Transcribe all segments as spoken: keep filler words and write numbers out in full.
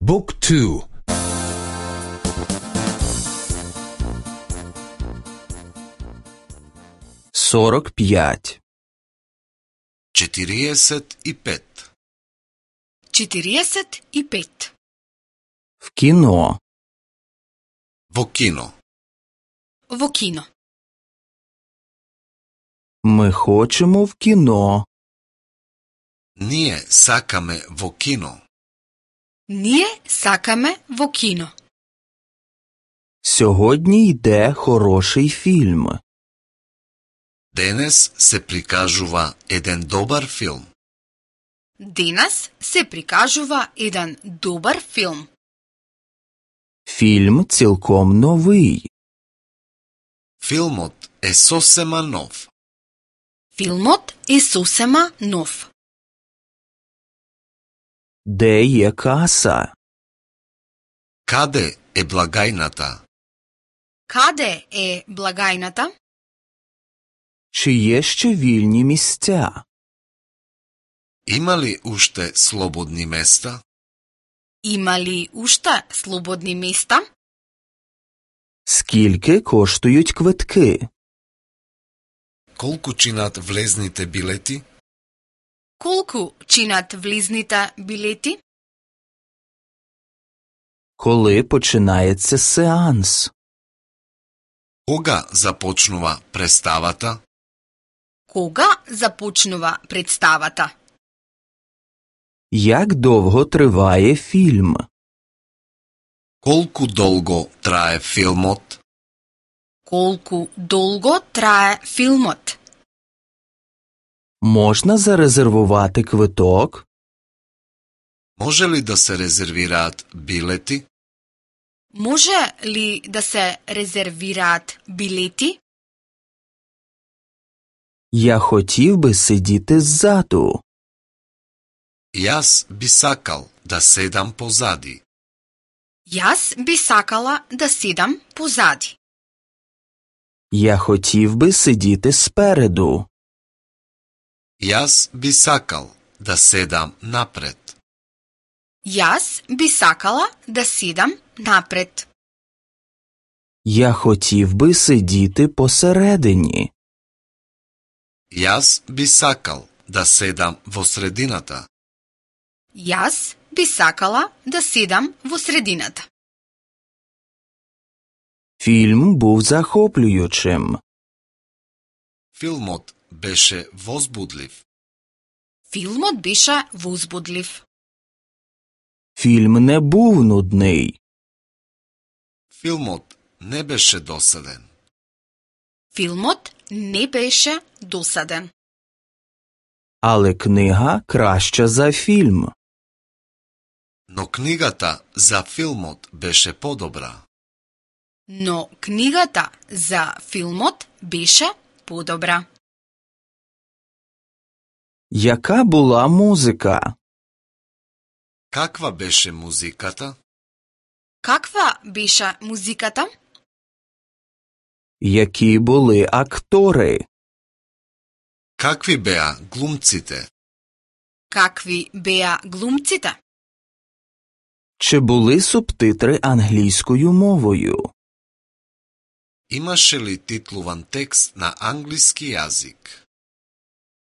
Book two. сорок пјат. четириесет и пет. четириесет и пет. В кино. Во кино. Во кино. Ми хочемо в кіно. Ние сакаме во кино. Ние сакаме во кино. Сьогодні йде хороший фільм. Денес се прикажува еден добар филм. Денес се прикажува еден добар филм. Фільм цілком новий. Филмот е сосема нов. Филмот е сосема нов. Де є каса? Каде е благајната? Каде е благајната? Чи є ще вільні місця? Има ли уште слободни места? Има ли уште слободни места? Скільки коштують квитки? Колку чинат влезните билети? Колку чинат влизните билети? Коли починається сеанс? Кога започнува представата? Кога започнува представата? Як довго триває фільм? Колку долго трае филмот? Колку долго трае филмот? Можна зарезервувати квиток? Може ли да се резервираат билети? Може ли да се резервираат билети? Я хотів би сидіти ззаду. Јас би сакал да седам позади. Јас би сакала да седам позади. Я хотів би сидіти спереду. Јас би сакал да седам напред. Јас би сакала да седам напред. Я хотів би сидіти посередині. Јас би сакал да седам во средината. Јас би сакала да седам во средината. Фільм був захоплюючим. Филмот беше возбудлив. Филмот беше возбудлив. Фільм не був нудний. Филмот не беше досаден. Филмот не беше досаден. Але книга краща за фільм. Но книгата за филмот беше подобра. Но книгата за филмот беше подобра. Яка була музика? Каква беше музиката? Каква беше музиката? Які були актори? Какви беа глумците? Какви беа глумците? Чи були субтитри англійською мовою? Имаше ли титлуван текст на англиски јазик?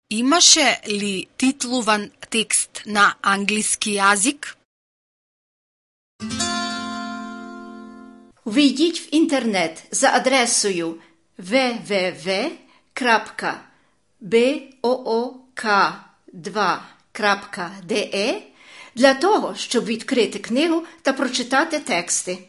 Имаше ли титлуван текст на англиски јазик? Увійдіть в інтернет за адресою double-u double-u double-u крапка book два крапка de для того, щоб відкрити книгу та прочитати тексти.